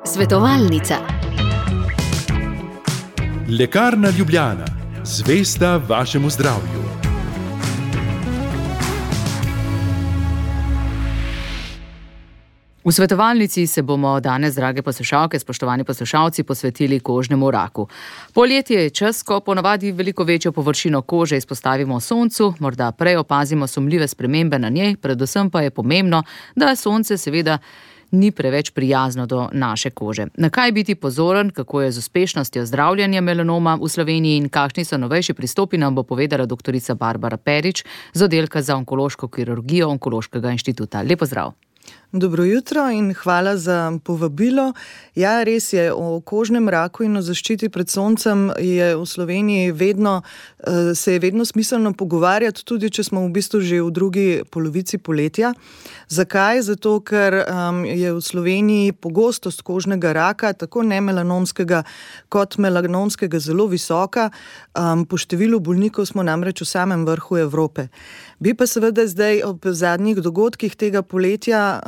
Svetovalnica. Lekarna Ljubljana, zvesta vašemu zdravju. V svetovalnici se bomo danes, drage poslušalke, spoštovani poslušalci, posvetili kožnemu raku. Poletje je čas, ko ponavadi veliko večjo površino kože izpostavimo soncu, morda prej opazimo sumljive spremembe na njej, predvsem pa je pomembno, da sonce seveda ni preveč prijazno do naše kože. Na kaj biti pozoren, kako je z uspešnostjo zdravljenja melanoma v Sloveniji in kakšni so novejši pristopi, nam bo povedala doktorica Barbara Perič z oddelka za onkološko kirurgijo Onkološkega inštituta. Lep pozdrav. Dobro jutro in hvala za povabilo. Ja, res je, o kožnem raku in o zaščiti pred soncem je v Sloveniji se je vedno smiselno pogovarjati, tudi če smo v bistvu že v drugi polovici poletja. Zakaj? Zato, ker je v Sloveniji pogostost kožnega raka, tako nemelanomskega kot melanomskega, zelo visoka. Po številu bolnikov smo namreč v samem vrhu Evrope. Bi pa seveda zdaj ob zadnjih dogodkih tega poletja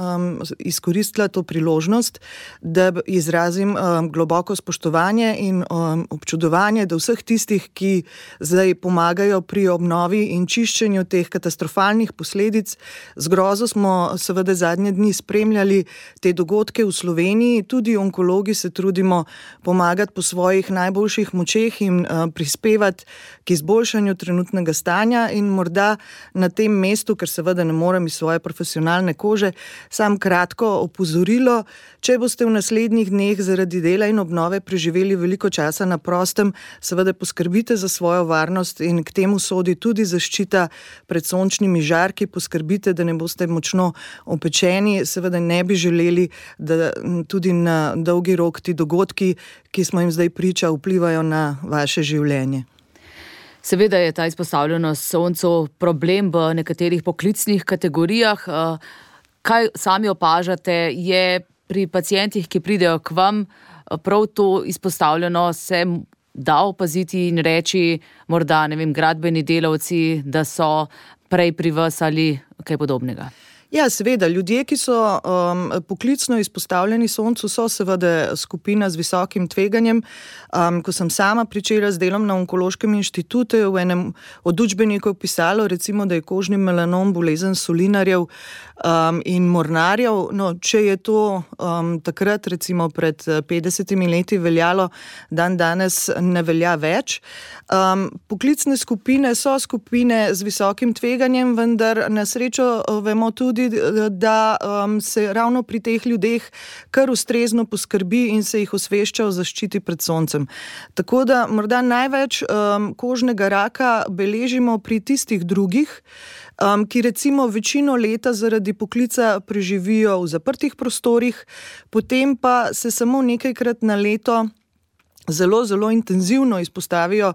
izkoristila to priložnost, da izrazim globoko spoštovanje in občudovanje do vseh tistih, ki zdaj pomagajo pri obnovi in čiščenju teh katastrofalnih posledic. Z grozo smo seveda zadnje dni spremljali te dogodke v Sloveniji, tudi onkologi se trudimo pomagati po svojih najboljših močeh in prispevati k izboljšanju trenutnega stanja in morda na tem mestu, ker seveda ne morem iz svoje profesionalne kože, sam kratko opozorilo, če boste v naslednjih dneh zaradi dela in obnove preživeli veliko časa na prostem, seveda poskrbite za svojo varnost in k temu sodi tudi zaščita pred sončnimi žarki, poskrbite, da ne boste močno opečeni, seveda ne bi želeli, da tudi na dolgi rok ti dogodki, ki smo jim zdaj priča, vplivajo na vaše življenje. Seveda je ta izpostavljenost soncu problem v nekaterih poklicnih kategorijah. Kaj sami opažate, je pri pacientih, ki pridejo k vam, prav to izpostavljeno se da opaziti in reči, morda, gradbeni delavci, da so prej pri vas ali kaj podobnega? Ja, seveda, ljudje, ki so poklicno izpostavljeni soncu, so seveda skupina z visokim tveganjem. Ko sem sama pričela z delom na Onkološkem inštitutu, je v enem od učbenikov pisalo, recimo, da je kožni melanom bolezen solinarjev in mornarjev. No, če je to takrat, recimo pred 50 leti veljalo, dan danes ne velja več. Poklicne skupine so skupine z visokim tveganjem, vendar na srečo vemo tudi, da se ravno pri teh ljudeh kar ustrezno poskrbi in se jih osvešča o zaščiti pred soncem. Tako da morda največ kožnega raka beležimo pri tistih drugih, ki recimo večino leta zaradi poklica preživijo v zaprtih prostorih, potem pa se samo nekajkrat na leto zelo intenzivno izpostavijo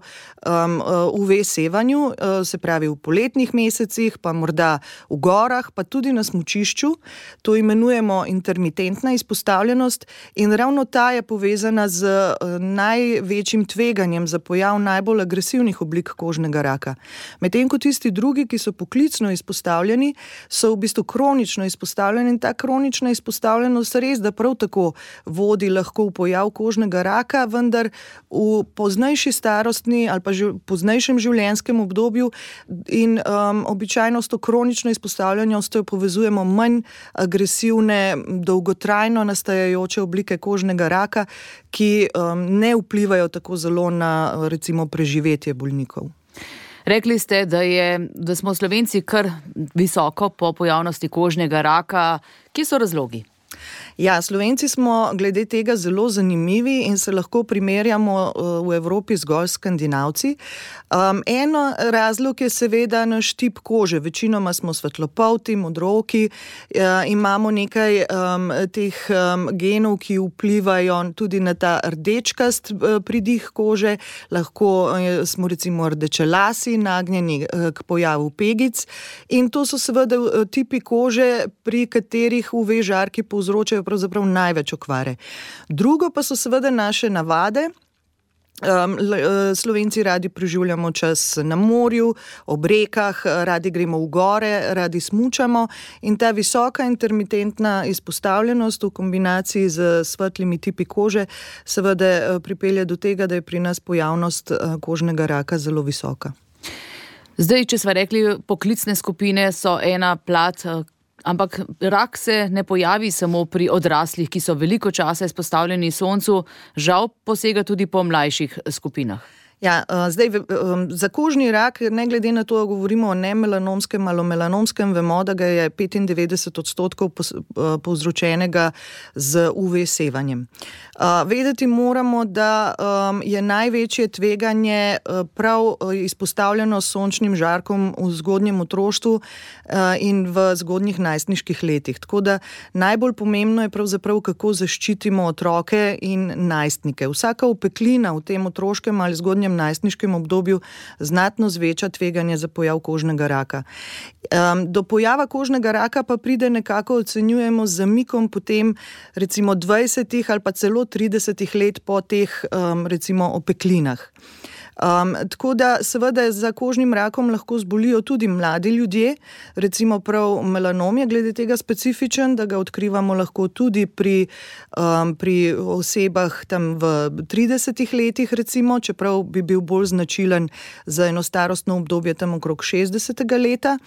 UV sevanju, se pravi v poletnih mesecih, pa morda v gorah, pa tudi na smučišču. To imenujemo intermitentna izpostavljenost in ravno ta je povezana z največjim tveganjem za pojav najbolj agresivnih oblik kožnega raka. Medtem ko tisti drugi, ki so poklicno izpostavljeni, so v bistvu kronično izpostavljeni in ta kronična izpostavljenost res, da prav tako vodi lahko v pojav kožnega raka, vendar v poznejši starostni ali pa poznejšem življenjskem obdobju in običajno s to kronično izpostavljenostjo povezujemo manj agresivne, dolgotrajno nastajajoče oblike kožnega raka, ki ne vplivajo tako zelo na recimo preživetje bolnikov. Rekli ste, da smo Slovenci kar visoko po pojavnosti kožnega raka. Kje so razlogi? Ja, Slovenci smo glede tega zelo zanimivi in se lahko primerjamo v Evropi zgolj s Skandinavci. Eno razlog je seveda naš tip kože. Večinoma smo svetlopolti, modrooki, imamo nekaj teh genov, ki vplivajo tudi na ta rdečkast pridih kože. Lahko smo recimo rdečelasi, nagnjeni k pojavu pegic. In to so seveda tipi kože, pri katerih UV žarki povzročajo pravzaprav največ okvare. Drugo pa so seveda naše navade, Slovenci radi preživljamo čas na morju, ob rekah, radi gremo v gore, radi smučamo in ta visoka intermitentna izpostavljenost v kombinaciji z svetlimi tipi kože seveda pripelje do tega, da je pri nas pojavnost kožnega raka zelo visoka. Zdaj, če sva rekli, poklicne skupine so ena plat, ampak rak se ne pojavi samo pri odraslih, ki so veliko časa izpostavljeni soncu, žal posega tudi po mlajših skupinah. Ja, zdaj za kožni rak, ne glede na to, da govorimo o nemelanomskem ali melanomskem, vemo, da ga je 95% povzročenega z UV sevanjem. Vedeti moramo, da je največje tveganje prav izpostavljeno sončnim žarkom v zgodnjem otroštvu in v zgodnjih najstniških letih. Tako da najbolj pomembno je pravzaprav, kako zaščitimo otroke in najstnike. Vsaka opeklina v tem otroškem ali zgodnjem najstniškem obdobju znatno zveča tveganje za pojav kožnega raka. Do pojava kožnega raka pa pride nekako, ocenjujemo, z zamikom potem recimo 20 ali pa celo 30 let po teh recimo opeklinah. Tako da seveda za kožnim rakom lahko zbolijo tudi mladi ljudje, recimo prav melanom je glede tega specifičen, da ga odkrivamo lahko tudi pri osebah tam v 30 letih recimo, čeprav bi bil bolj značilen za eno starostno obdobje tam okrog 60. leta.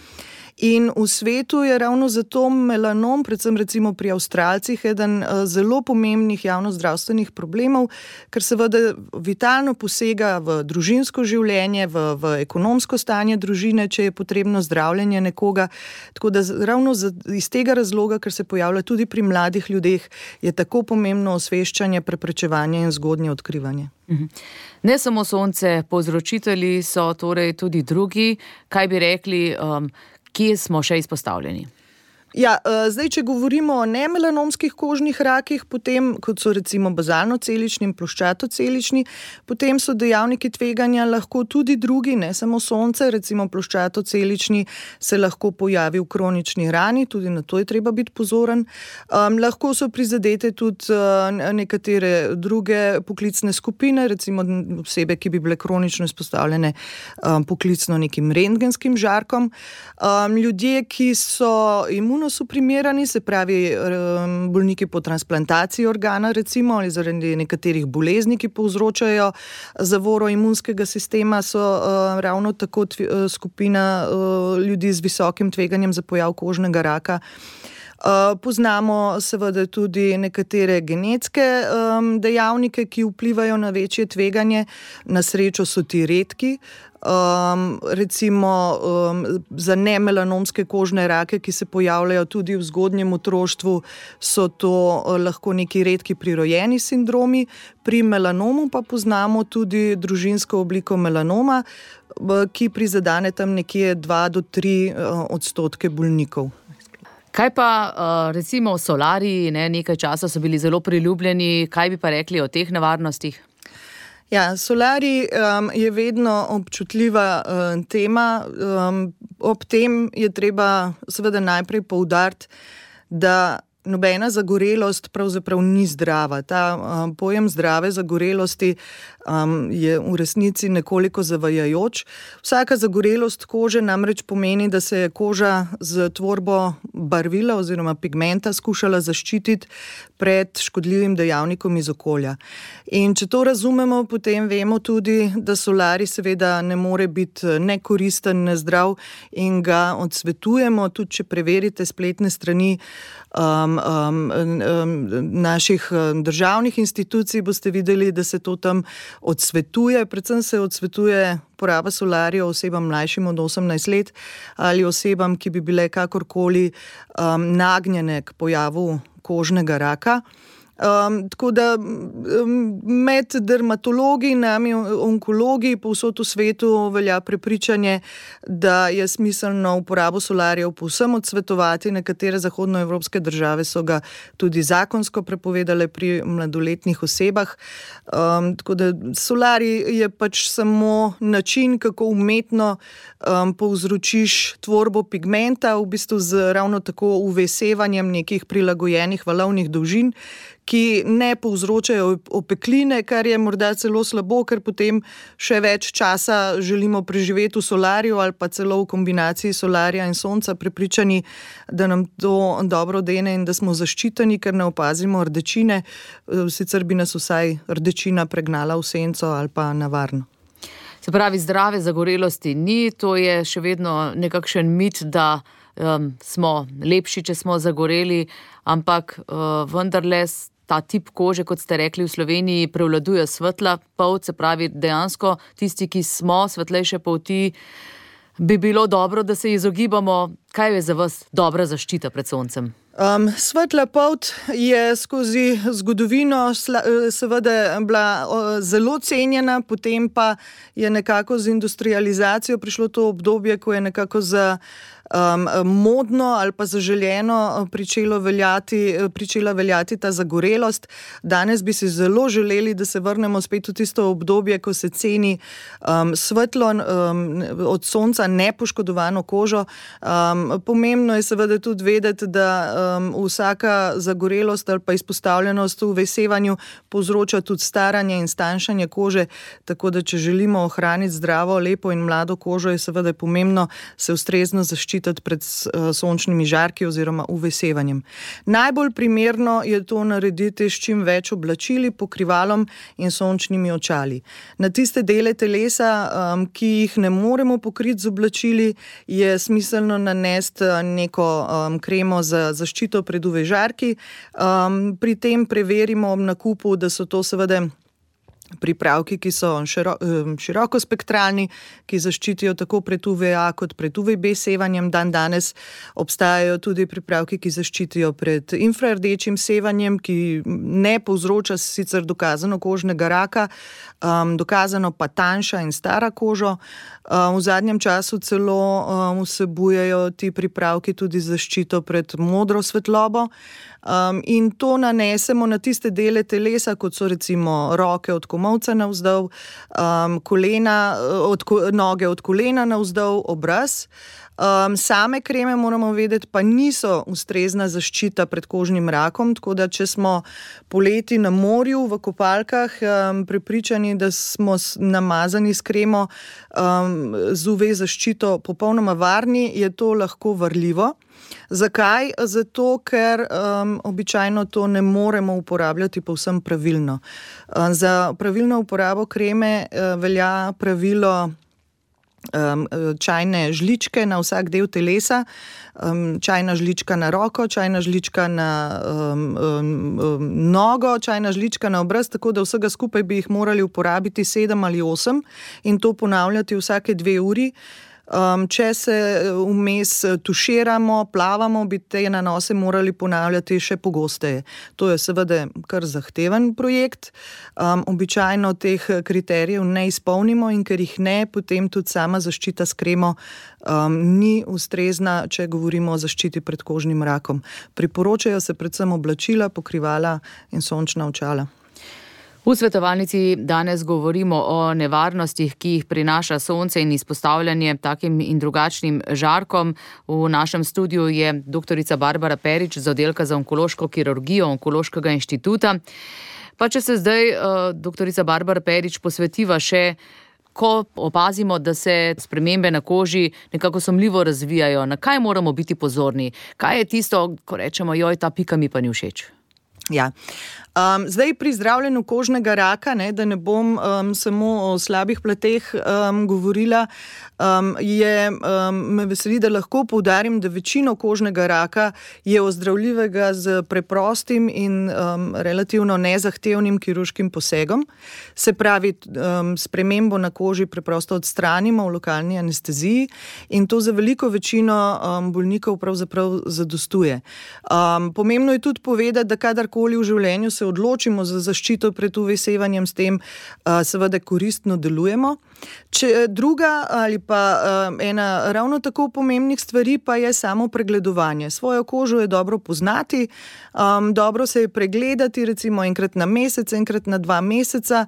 In v svetu je ravno zato melanom, predvsem recimo pri Avstralcih, eden zelo pomembnih javnozdravstvenih problemov, ker seveda vitalno posega v družinsko življenje, v ekonomsko stanje družine, če je potrebno zdravljenje nekoga. Tako da ravno iz tega razloga, ker se pojavlja tudi pri mladih ljudeh, je tako pomembno osveščanje, preprečevanje in zgodnje odkrivanje. Ne samo sonce, povzročitelji so torej tudi drugi. Kaj bi rekli, kje smo še izpostavljeni? Ja, zdaj, če govorimo o nemelanomskih kožnih rakih, potem, kot so recimo bazalno-celični in ploščatocelični, potem so dejavniki tveganja lahko tudi drugi, ne samo sonce, recimo ploščatocelični se lahko pojavi v kronični rani, tudi na to je treba biti pozoren. Lahko so prizadete tudi nekatere druge poklicne skupine, recimo osebe, ki bi bile kronično izpostavljene poklicno nekim rentgenskim žarkom. Ljudje, ki so imunosuprimirani, se pravi bolniki po transplantaciji organa recimo ali zaradi nekaterih bolezni, ki povzročajo zavoro imunskega sistema, so ravno tako skupina ljudi z visokim tveganjem za pojav kožnega raka. Poznamo seveda tudi nekatere genetske dejavnike, ki vplivajo na večje tveganje. Na srečo so ti redki. Recimo za nemelanomske kožne rake, ki se pojavljajo tudi v zgodnjem otroštvu, so to lahko neki redki prirojeni sindromi. Pri melanomu pa poznamo tudi družinsko obliko melanoma, ki prizadene tam nekje 2 do 3% bolnikov. Kaj pa recimo solariji, nekaj časa so bili zelo priljubljeni, kaj bi pa rekli o teh nevarnostih? Ja, solarij je vedno občutljiva tema. Ob tem je treba seveda najprej poudariti, da nobena zagorelost pravzaprav ni zdrava. Ta pojem zdrave zagorelosti je v resnici nekoliko zavajajoč. Vsaka zagorelost kože namreč pomeni, da se je koža z tvorbo barvila oziroma pigmenta skušala zaščititi pred škodljivim dejavnikom iz okolja. In če to razumemo, potem vemo tudi, da solarij seveda ne more biti nekoristen, nezdrav in ga odsvetujemo, tudi če preverite spletne strani naših državnih institucij, boste videli, da se to tam odsvetuje. Predvsem se odsvetuje poraba solarija osebam mlajšim od 18 let ali osebam, ki bi bile kakorkoli nagnjene k pojavu kožnega raka. Tako da med dermatologi, nami onkologi povsod v svetu velja prepričanje, da je smiselno uporabo solarijev povsem odsvetovati. Nekatere zahodnoevropske države so ga tudi zakonsko prepovedale pri mladoletnih osebah. Tako da solarij je pač samo način, kako umetno povzročiš tvorbo pigmenta, v bistvu z ravno tako UV sevanjem nekih prilagojenih valovnih dolžin, ki ne povzročajo opekline, kar je morda celo slabo, ker potem še več časa želimo preživeti v solarju ali pa celo v kombinaciji solarja in sonca, prepričani, da nam to dobro dene in da smo zaščiteni, ker ne opazimo rdečine, sicer bi nas vsaj rdečina pregnala v senco ali pa na varno. Se pravi, zdrave zagorelosti ni, to je še vedno nekakšen mit, da smo lepši, če smo zagoreli, ampak vendarle ta tip kože, kot ste rekli, v Sloveniji prevladuje svetla polt, se pravi dejansko tisti, ki smo svetlejše polti, bi bilo dobro, da se izogibamo. Kaj je za vas dobra zaščita pred soncem? Svetla polt je skozi zgodovino seveda bila zelo cenjena, potem pa je nekako z industrializacijo prišlo to obdobje, ko je nekako za modno ali pa zaželjeno pričela veljati ta zagorelost. Danes bi si zelo želeli, da se vrnemo spet v tisto obdobje, ko se ceni svetlo od sonca nepoškodovano kožo. Pomembno je seveda tudi vedeti, da vsaka zagorelost ali pa izpostavljenost v sevanju povzroča tudi staranje in stanjšanje kože, tako da če želimo ohraniti zdravo, lepo in mlado kožo, je seveda pomembno se ustrezno zaščititi pred sončnimi žarki oziroma UV-sevanjem. Najbolj primerno je to narediti s čim več oblačili, pokrivalom in sončnimi očali. Na tiste dele telesa, ki jih ne moremo pokriti z oblačili, je smiselno nanesti neko kremo za zaščito pred UV-žarki. Pri tem preverimo ob nakupu, da so to seveda pripravki, ki so širokospektralni, ki zaščitijo tako pred UVA kot pred UVB sevanjem. Danes obstajajo tudi pripravki, ki zaščitijo pred infrardečim sevanjem, ki ne povzroča sicer dokazano kožnega raka, dokazano pa tanjša in stara kožo. V zadnjem času celo vsebujejo ti pripravki tudi zaščito pred modro svetlobo. In to nanesemo na tiste dele telesa, kot so recimo roke od komolca navzdol, noge od kolena navzdol, obraz. Same kreme, moramo vedeti, pa niso ustrezna zaščita pred kožnim rakom, tako da če smo poleti na morju v kopalkah prepričani, da smo namazani s kremo z UV zaščito popolnoma varni, je to lahko varljivo. Zakaj? Zato, ker običajno to ne moremo uporabljati povsem pravilno. Za pravilno uporabo kreme velja pravilo čajne žličke na vsak del telesa, čajna žlička na roko, čajna žlička na nogo, čajna žlička na obraz, tako da vsega skupaj bi jih morali uporabiti 7 ali 8 in to ponavljati vsake 2 uri. Če se vmes tuširamo, plavamo, bi te nanose morali ponavljati še pogosteje. To je seveda kar zahteven projekt. Običajno teh kriterijev ne izpolnimo in ker jih ne, potem tudi sama zaščita s kremo ni ustrezna, če govorimo o zaščiti pred kožnim rakom. Priporočajo se predvsem oblačila, pokrivala in sončna očala. V svetovalnici danes govorimo o nevarnostih, ki jih prinaša sonce in izpostavljanje takim in drugačnim žarkom. V našem studiu je doktorica Barbara Perič z oddelka za onkološko kirurgijo Onkološkega inštituta. Pa če se zdaj, doktorica Barbara Perič, posvetiva še, ko opazimo, da se spremembe na koži nekako sumljivo razvijajo, na kaj moramo biti pozorni? Kaj je tisto, ko rečemo, joj, ta pika mi pa ni všeč? Ja. Zdaj pri zdravljenju kožnega raka, da ne bom samo o slabih plateh govorila, me veseli, da lahko poudarim, da večino kožnega raka je ozdravljivega z preprostim in relativno nezahtevnim kirurškim posegom. Se pravi, spremembo na koži preprosto odstranimo v lokalni anesteziji in to za veliko večino bolnikov pravzaprav zadostuje. Pomembno je tudi povedati, da kadarkoli v življenju se odločimo za zaščito pred UV-sevanjem, s tem seveda koristno delujemo. Druga ali pa ena ravno tako pomembnih stvari pa je samo pregledovanje. Svojo kožo je dobro poznati, dobro se je pregledati, recimo enkrat na mesec, enkrat na 2 meseca,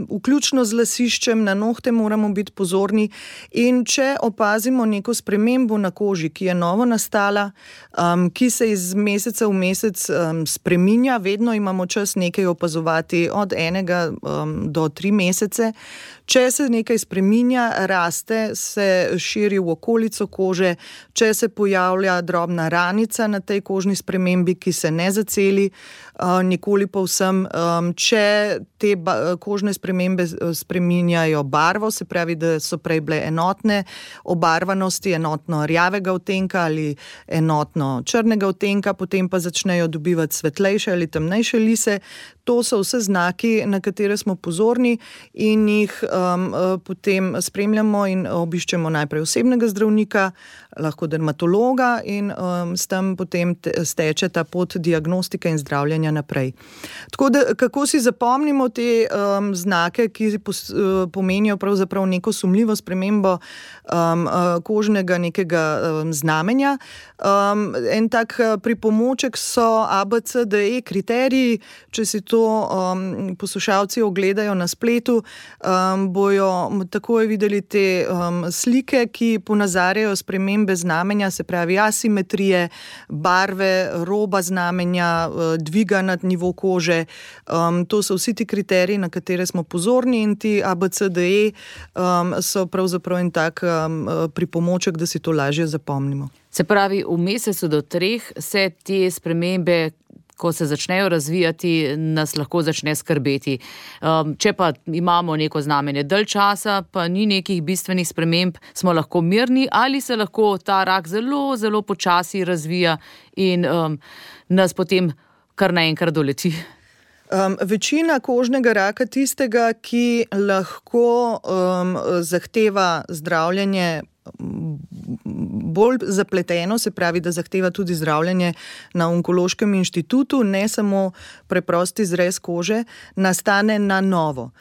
vključno z lasiščem, na nohte moramo biti pozorni in če opazimo neko spremembo na koži, ki je novo nastala, ki se iz meseca v mesec spreminja, vedno vedno imamo čas nekaj opazovati od 1 do 3 mesece. Če se nekaj spreminja, raste, se širi v okolico kože, če se pojavlja drobna ranica na tej kožni spremembi, ki se ne zaceli nikoli povsem, če te kožne spremembe spreminjajo barvo, se pravi, da so prej bile enotne obarvanosti, enotno rjavega odtenka ali enotno črnega odtenka, potem pa začnejo dobivati svetlejše ali temnejše lise. To so vse znaki, na katere smo pozorni in jih potem spremljamo in obiščemo najprej osebnega zdravnika, lahko dermatologa in s tem potem steče ta pot diagnostike in zdravljenja naprej. Tako da, kako si zapomnimo te znake, ki pomenijo pravzaprav neko sumljivo spremembo kožnega nekega znamenja. En tak pripomoček so ABCDE kriteriji, če si to poslušalci ogledajo na spletu, bojo takoj videli te slike, ki ponazarjajo spremembe znamenja, se pravi asimetrije, barve, roba znamenja, dviga nad nivo kože. To so vsi ti kriteriji, na katere smo pozorni in ti ABCDE so pravzaprav en tak pripomoček, da si to lažje zapomnimo. Se pravi, v mesecu do 3 se te spremembe, ko se začnejo razvijati, nas lahko začne skrbeti. Če pa imamo neko znamenje dalj časa, pa ni nekih bistvenih sprememb, smo lahko mirni ali se lahko ta rak zelo, zelo počasi razvija in nas potem kar naenkrat doleti. Večina kožnega raka, tistega, ki lahko zahteva zdravljenje bolj zapleteno, se pravi, da zahteva tudi zdravljenje na Onkološkem inštitutu, ne samo preprosti zrez kože, nastane na novo.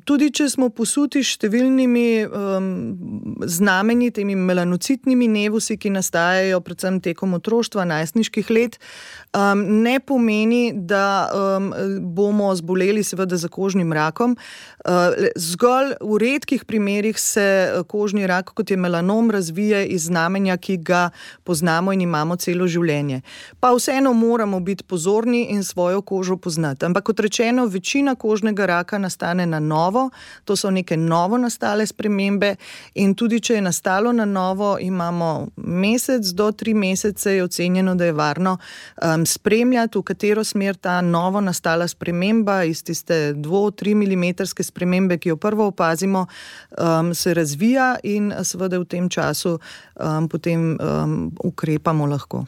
Tudi če smo posuti številnimi znamenji, temi melanocitnimi nevusi, ki nastajajo predvsem tekom otroštva, najstniških let, ne pomeni, da bomo zboleli seveda za kožnim rakom. Zgolj v redkih primerih se kožni rak, kot je melanom, razvije iz znamenja, ki ga poznamo in imamo celo življenje. Pa vseeno moramo biti pozorni in svojo kožo poznati. Ampak kot rečeno, večina kožnega raka nastane na novo, to so neke novo nastale spremembe in tudi če je nastalo na novo, imamo mesec do 3 mesece, je ocenjeno, da je varno spremljati, v katero smer ta novo nastala sprememba iz tiste 2-3 milimetrske spremembe, ki jo prvo opazimo, se razvija in seveda v tem času potem ukrepamo lahko.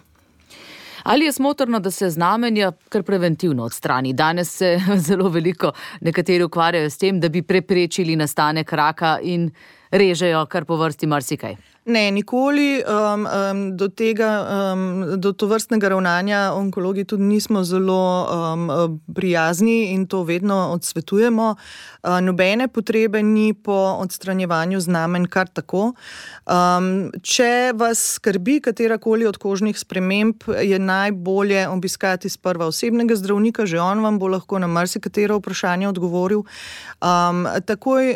Ali je smotrno, da se znamenja kar preventivno odstrani? Danes se zelo veliko nekateri ukvarjajo s tem, da bi preprečili nastanek raka in režejo kar po vrsti marsikaj. Ne, nikoli do tovrstnega ravnanja onkologi tudi nismo zelo prijazni in to vedno odsvetujemo. Nobene potrebe ni po odstranjevanju znamenj kar tako. Če vas skrbi katerakoli od kožnih sprememb, je najbolje obiskati sprva osebnega zdravnika, že on vam bo lahko na marsikatero vprašanje odgovoril. Takoj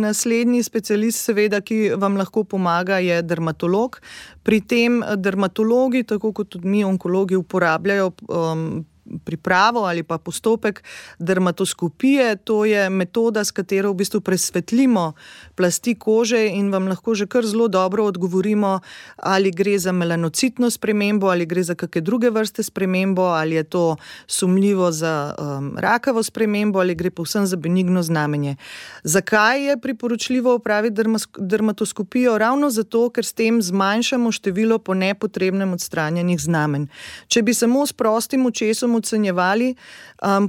naslednji specialist, seveda, ki vam lahko pomaga, je dermatolog. Pri tem dermatologi, tako kot tudi mi onkologi, uporabljajo pripravo ali pa postopek dermatoskopije. To je metoda, s katero v bistvu presvetlimo plasti kože in vam lahko že kar zelo dobro odgovorimo, ali gre za melanocitno spremembo, ali gre za kakšne druge vrste spremembo, ali je to sumljivo za rakavo spremembo, ali gre povsem za benigno znamenje. Zakaj je priporočljivo opraviti dermatoskopijo? Ravno zato, ker s tem zmanjšamo število po nepotrebnem odstranjenih znamenj. Če bi samo s prostim očesom ocenjevali,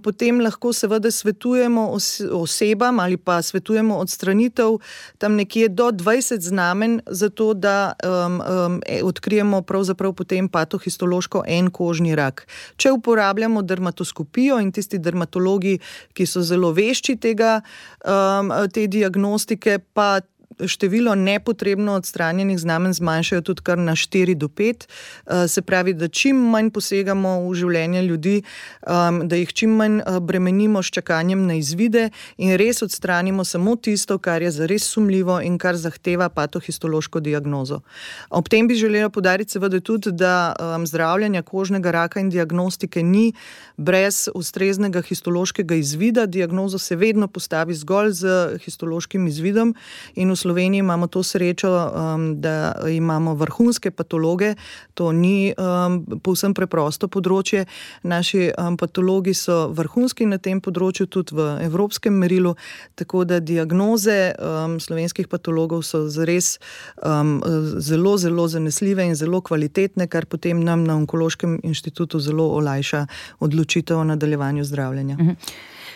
potem lahko seveda svetujemo osebam ali pa svetujemo odstranitev tam nekje do 20 znamenj, zato da odkrijemo pravzaprav potem patohistološko en kožni rak. Če uporabljamo dermatoskopijo in tisti dermatologi, ki so zelo vešči te diagnostike, pa število nepotrebno odstranjenih znamenj zmanjšajo tudi kar na 4 do 5. Se pravi, da čim manj posegamo v življenje ljudi, da jih čim manj bremenimo s čakanjem na izvide in res odstranimo samo tisto, kar je zares sumljivo in kar zahteva patohistološko diagnozo. Ob tem bi želela poudariti seveda tudi, da zdravljenja kožnega raka in diagnostike ni brez ustreznega histološkega izvida. Diagnozo se vedno postavi zgolj z histološkim izvidom in v Sloveniji imamo to srečo, da imamo vrhunske patologe. To ni povsem preprosto področje. Naši patologi so vrhunski na tem področju, tudi v evropskem merilu, tako da diagnoze slovenskih patologov so zares zelo, zelo zanesljive in zelo kvalitetne, kar potem nam na Onkološkem inštitutu zelo olajša odločitev o nadaljevanju zdravljenja.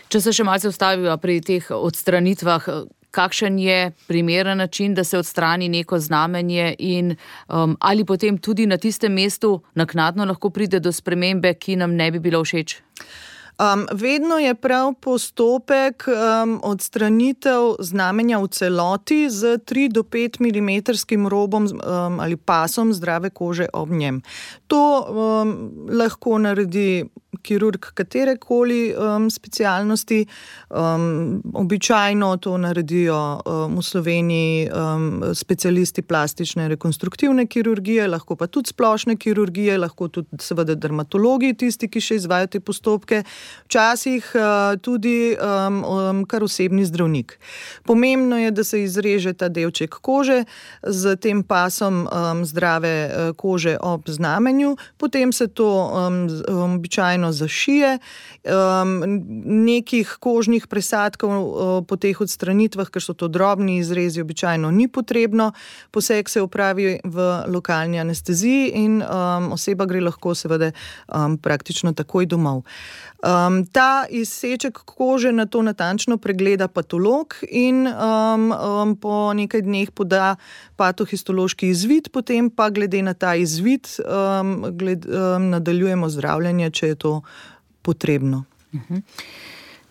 Če se še malce ustaviva pri teh odstranitvah, kakšen je primeren način, da se odstrani neko znamenje in ali potem tudi na tistem mestu naknadno lahko pride do spremembe, ki nam ne bi bila všeč? Vedno je prav postopek odstranitev znamenja v celoti z 3 do 5 mm robom ali pasom zdrave kože ob njem. To lahko naredi kirurg katerekoli specialnosti. Običajno to naredijo v Sloveniji specialisti plastične rekonstruktivne kirurgije, lahko pa tudi splošne kirurgije, lahko tudi seveda dermatologi, tisti, ki še izvajajo te postopke. Včasih tudi kar osebni zdravnik. Pomembno je, da se izreže ta delček kože z tem pasom zdrave kože ob znamenju, potem se to običajno zašije. Nekih kožnih presadkov po teh odstranitvah, ker so to drobni izrezi, običajno ni potrebno. Poseg se opravi v lokalni anesteziji in oseba gre lahko seveda praktično takoj domov. Ta izseček kože na to natančno pregleda patolog in po nekaj dneh poda patohistološki izvid, potem pa glede na ta izvid nadaljujemo zdravljenje, če je to potrebno.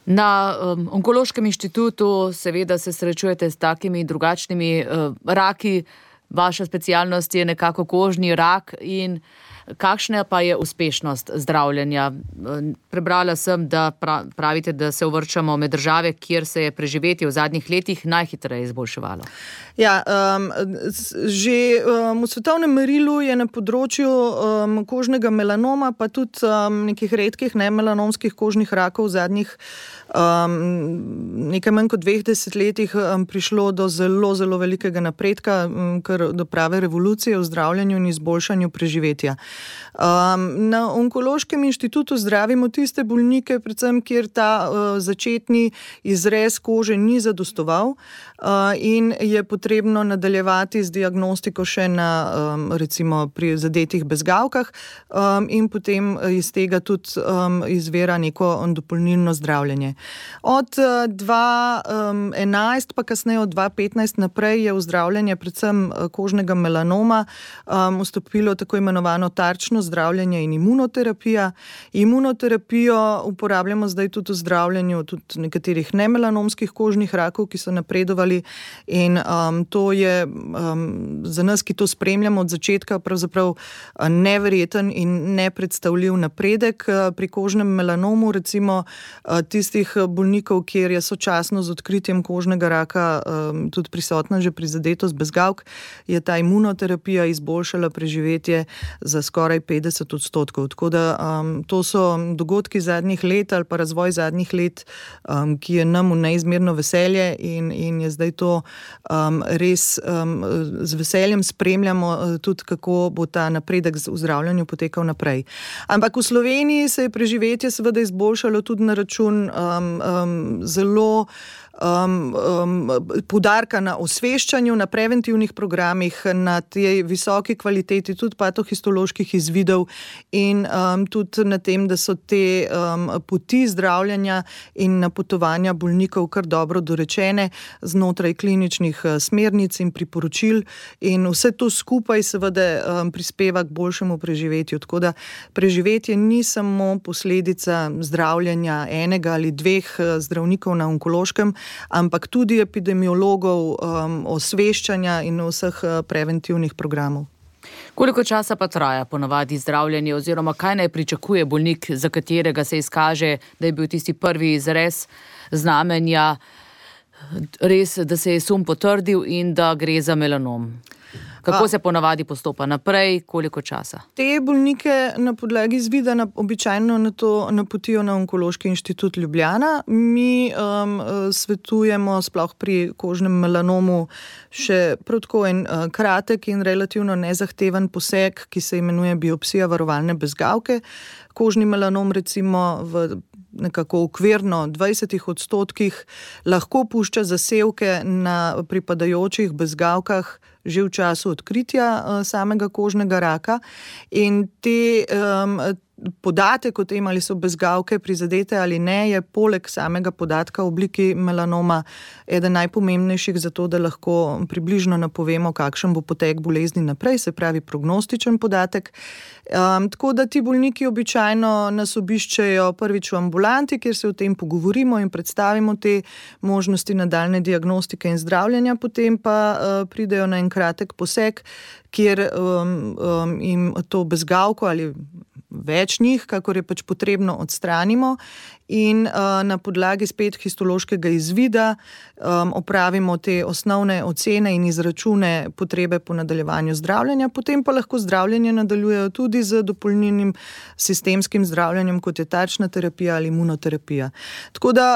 Na Onkološkem inštitutu seveda se srečujete s takimi drugačnimi raki. Vaša specialnost je nekako kožni rak in kakšna pa je uspešnost zdravljenja? Prebrala sem, da pravite, da se uvrščamo med države, kjer se je preživetje v zadnjih letih najhitreje izboljševalo. Ja, že v svetovnem merilu je na področju kožnega melanoma, pa tudi nekih redkih nemelanomskih kožnih rakov v zadnjih nekaj manj kot 2 desetletjih prišlo do zelo, zelo velikega napredka, kar do prave revolucije v zdravljenju in izboljšanju preživetja. Na Onkološkem inštitutu zdravimo tiste bolnike, predvsem kjer ta začetni izrez kože ni zadostoval in je potrebno nadaljevati z diagnostiko še na recimo pri zadetih bezgavkah in potem iz tega tudi izvira neko dopolnilno zdravljenje. Od 2011 pa kasneje od 2015 naprej je v zdravljenje predvsem kožnega melanoma vstopilo tako imenovano tarčno zdravljenje in imunoterapija. Imunoterapijo uporabljamo zdaj tudi v zdravljenju tudi nekaterih nemelanomskih kožnih rakov, ki so napredovali in to je za nas, ki to spremljamo od začetka, pravzaprav neverjeten in nepredstavljiv napredek. Pri kožnem melanomu recimo tistih bolnikov, kjer je sočasno z odkritjem kožnega raka tudi prisotna že prizadetost bezgavk, je ta imunoterapija izboljšala preživetje za skoraj 50%. Tako da to so dogodki zadnjih let ali pa razvoj zadnjih let, ki je nam v neizmerno veselje in je zdaj to res z veseljem spremljamo tudi, kako bo ta napredek v zdravljenju potekal naprej. Ampak v Sloveniji se je preživetje seveda izboljšalo tudi na račun zelo poudarka na osveščanju, na preventivnih programih, na tej visoki kvaliteti tudi patohistoloških izvidov in tudi na tem, da so te poti zdravljenja in napotovanja bolnikov kar dobro dorečene znotraj kliničnih smernic in priporočil in vse to skupaj seveda prispeva k boljšemu preživetju. Tako da preživetje ni samo posledica zdravljenja enega ali 2 zdravnikov na Onkološkem, ampak tudi epidemiologov, osveščanja in vseh preventivnih programov. Koliko časa pa traja ponavadi zdravljenje oziroma kaj naj pričakuje bolnik, za katerega se izkaže, da je bil tisti prvi izrez znamenja res, da se je sum potrdil in da gre za melanom? Kako se ponavadi postopa naprej, koliko časa? Te bolnike na podlagi izvida običajno na to napotijo na Onkološki inštitut Ljubljana. Mi svetujemo sploh pri kožnem melanomu še prav tako en kratek in relativno nezahteven poseg, ki se imenuje biopsija varovalne bezgavke. Kožni melanom recimo v nekako okvirno 20% lahko pušča zasevke na pripadajočih bezgavkah že v času odkritja samega kožnega raka in te podatek o tem, ali so bezgavke prizadete ali ne, je poleg samega podatka o obliki melanoma eden najpomembnejših za to, da lahko približno napovemo, kakšen bo potek bolezni naprej, se pravi prognostičen podatek. Tako da ti bolniki običajno nas obiščejo prvič v ambulanti, kjer se o tem pogovorimo in predstavimo te možnosti nadaljne diagnostike in zdravljenja, potem pa pridejo na en kratek poseg, kjer jim to bezgavko ali več njih, kakor je pač potrebno, odstranimo in na podlagi spet histološkega izvida opravimo te osnovne ocene in izračune potrebe po nadaljevanju zdravljenja, potem pa lahko zdravljenje nadaljujejo tudi z dopolnilnim sistemskim zdravljenjem, kot je tarčna terapija ali imunoterapija. Tako da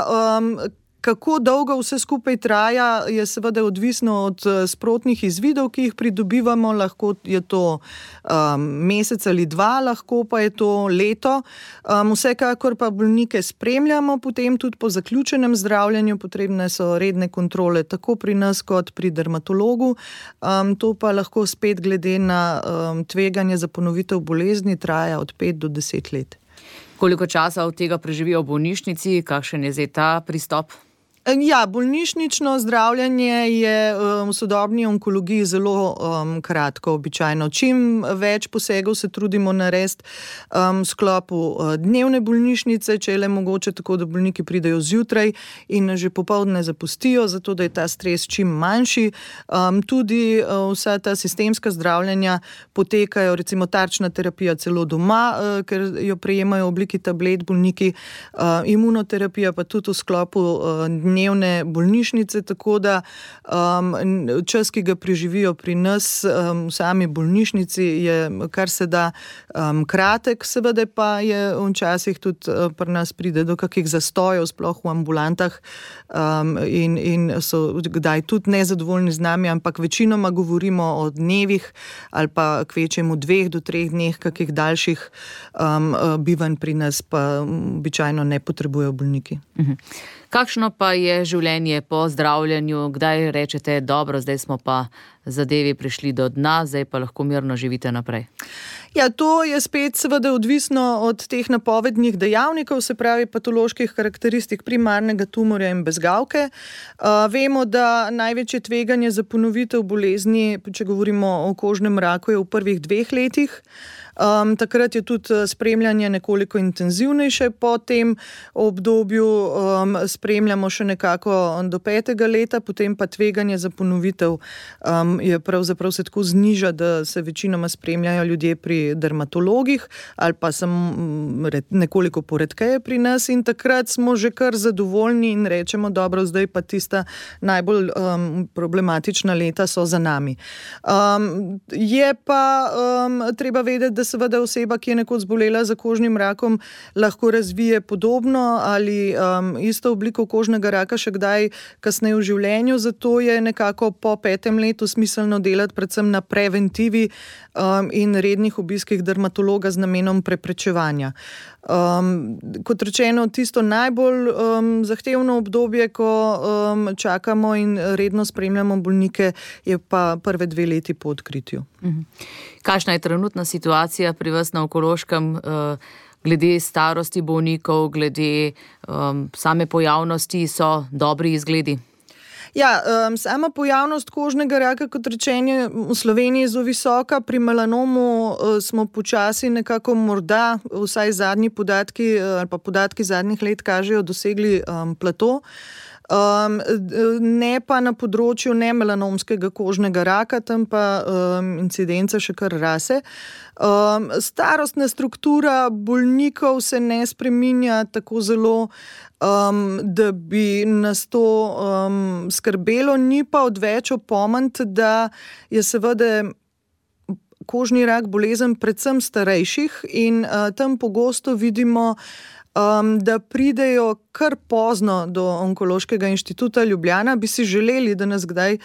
kako dolgo vse skupaj traja, je seveda odvisno od sprotnih izvidov, ki jih pridobivamo, lahko je to mesec ali dva, lahko pa je to leto. Vsekakor pa bolnike spremljamo, potem tudi po zaključenem zdravljenju, potrebne so redne kontrole tako pri nas kot pri dermatologu. To pa lahko spet glede na tveganje za ponovitev bolezni traja od 5 do 10 let. Koliko časa od tega preživijo v bolnišnici, kakšen je zdaj ta pristop? Ja, bolnišnično zdravljenje je v sodobni onkologiji zelo kratko običajno. Čim več posegov se trudimo narediti v sklopu dnevne bolnišnice, če je le mogoče tako, da bolniki pridejo zjutraj in že popoldne zapustijo, zato da je ta stres čim manjši. Tudi vsa ta sistemska zdravljenja potekajo, recimo tarčna terapija celo doma, ker jo prejemajo v obliki tablet bolniki, imunoterapija pa tudi v sklopu dnevne bolnišnice, tako da čas, ki ga preživijo pri nas v sami bolnišnici, je kar se da kratek, seveda pa je včasih tudi pri nas pride do kakih zastojev, sploh v ambulantah in so kdaj tudi nezadovoljni z nami, ampak večinoma govorimo o dnevih ali pa kvečjemu 2 do 3 dneh, kakih daljših bivanj pri nas pa običajno ne potrebujejo bolniki. Kakšno pa je življenje po zdravljenju? Kdaj rečete, dobro, zdaj smo pa zadevi prišli do dna, zdaj pa lahko mirno živite naprej? Ja, to je spet seveda odvisno od teh napovednih dejavnikov, se pravi patoloških karakteristik primarnega tumorja in bezgavke. Vemo, da največje tveganje za ponovitev bolezni, če govorimo o kožnem raku, je v prvih 2 letih. Takrat je tudi spremljanje nekoliko intenzivnejše, po tem obdobju spremljamo še nekako do 5. leta, potem pa tveganje za ponovitev je pravzaprav se tako zniža, da se večinoma spremljajo ljudje pri dermatologih ali pa samo nekoliko poredkeje pri nas in takrat smo že kar zadovoljni in rečemo, dobro, zdaj pa tista najbolj problematična leta so za nami. Je pa treba vedeti, da seveda oseba, ki je nekoč zbolela za kožnim rakom, lahko razvije podobno ali isto obliko kožnega raka še kdaj kasneje v življenju, zato je nekako po 5. letu smiselno delati predvsem na preventivi in rednih obiskih dermatologa z namenom preprečevanja. Kot rečeno, tisto najbolj zahtevno obdobje, ko čakamo in redno spremljamo bolnike, je pa prve 2 leti po odkritju. Kakšna je trenutna situacija pri vas na Onkološkem glede starosti bolnikov, glede same pojavnosti, so dobri izgledi? Ja, sama pojavnost kožnega raka, kot rečeno, v Sloveniji je zelo visoka, pri melanomu smo počasi nekako morda, vsaj zadnji podatki ali pa podatki zadnjih let kažejo, dosegli plato. ne pa na področju nemelanomskega kožnega raka, tam pa incidenca še kar rase. Starostna struktura bolnikov se ne spreminja tako zelo, da bi nas to skrbelo, ni pa odveč opomniti, da je seveda kožni rak bolezen predvsem starejših in tam pogosto vidimo, da pridejo kar pozno do Onkološkega inštituta Ljubljana. Bi si želeli, da nas kdaj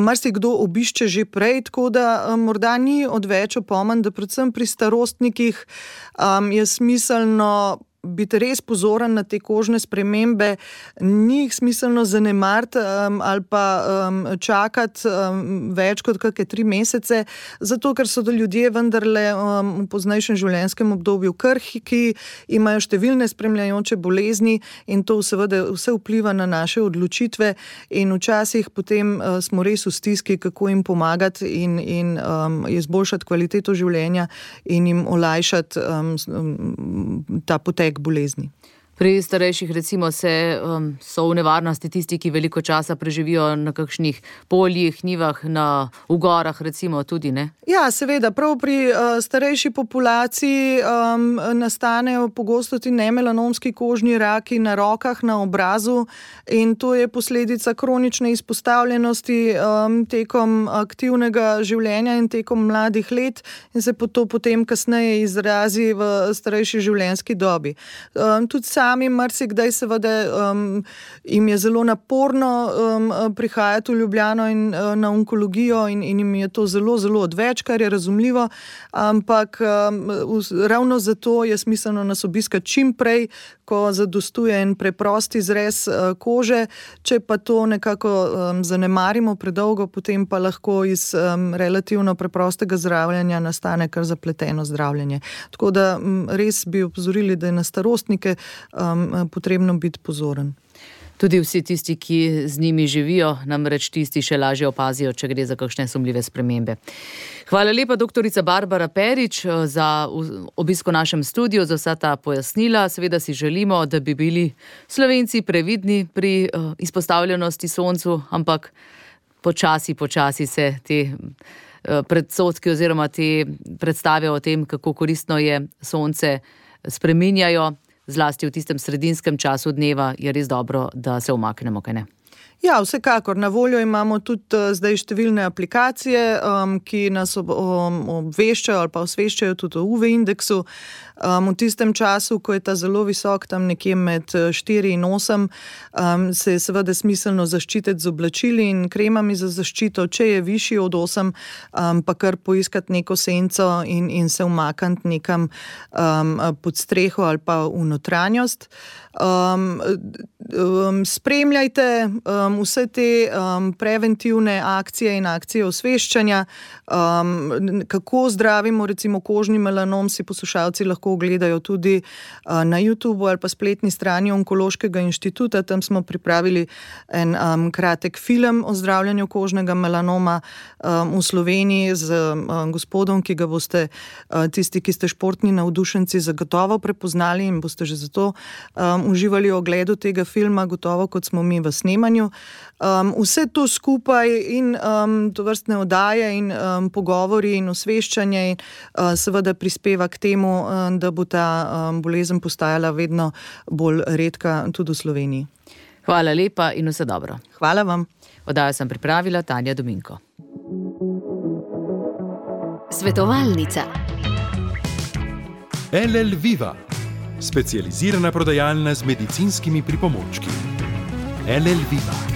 marsikdo obišče že prej, tako da morda ni odveč opomen, da predvsem pri starostnikih je smiselno biti res pozoren na te kožne spremembe, ni jih smiselno zanemariti ali pa čakati več kot kakšne 3 mesece, zato ker so ljudje vendarle v poznejšem življenjskem obdobju krhki, imajo številne spremljajoče bolezni in to seveda vse vpliva na naše odločitve in včasih potem smo res v stiski, kako jim pomagati in izboljšati kvaliteto življenja in jim olajšati ta potek bolezni. Pri starejših recimo so v nevarnosti tisti, ki veliko časa preživijo na kakšnih poljih, njivah, v gorah recimo tudi, ne? Ja, seveda, prav pri starejši populaciji nastanejo pogosto ti nemelanomski kožni raki na rokah, na obrazu in to je posledica kronične izpostavljenosti tekom aktivnega življenja in tekom mladih let in se to potem kasneje izrazi v starejši življenjski dobi. Tudi sami marsikdaj seveda jim je zelo naporno prihajati v Ljubljano in na onkologijo in jim je to zelo, zelo odveč, kar je razumljivo, ampak ravno zato je smiselno nas obiskati čim prej, ko zadostuje en preprost izrez kože, če pa to nekako zanemarimo predolgo, potem pa lahko iz relativno preprostega zdravljenja nastane kar zapleteno zdravljenje. Tako da res bi opozorili, da je na starostnike potrebno biti pozoren. Tudi vsi tisti, ki z njimi živijo, namreč tisti še lažje opazijo, če gre za kakšne sumljive spremembe. Hvala lepa, doktorica Barbara Perič, za obisk v našem studiu, za vsa ta pojasnila. Seveda si želimo, da bi bili Slovenci previdni pri izpostavljenosti soncu, ampak počasi se te predsodki oziroma te predstave o tem, kako koristno je sonce, spreminjajo. Zlasti v tistem sredinskem času dneva je res dobro, da se umaknemo, kaj ne? Ja, vsekakor. Na voljo imamo tudi zdaj številne aplikacije, ki nas obveščajo ali pa osveščajo tudi o UV indeksu. V tistem času, ko je ta zelo visok, tam nekje med 4 in 8, se je seveda smiselno zaščititi z oblačili in kremami za zaščito. Če je višji od 8, pa kar poiskati neko senco in se umakniti nekam pod streho ali pa v notranjost. Spremljajte vse te preventivne akcije in akcije osveščanja, kako zdravimo recimo kožni melanom, si poslušalci lahko ogledajo tudi na YouTubeu ali pa spletni strani Onkološkega inštituta. Tam smo pripravili en kratek film o zdravljenju kožnega melanoma v Sloveniji z gospodom, ki ga boste tisti, ki ste športni navdušenci, zagotovo prepoznali in boste že zato uživali v ogledu tega filma, gotovo kot smo mi v snemanju. Vse to skupaj in tovrstne oddaje in pogovori in osveščanje seveda prispeva k temu, da bo ta bolezen postajala vedno bolj redka tudi v Sloveniji. Hvala lepa in vse dobro. Hvala vam. Oddajo sem pripravila Tanja Dominko. Svetovalnica. LL Viva, specializirana prodajalna z medicinskimi pripomočki. LL Viva.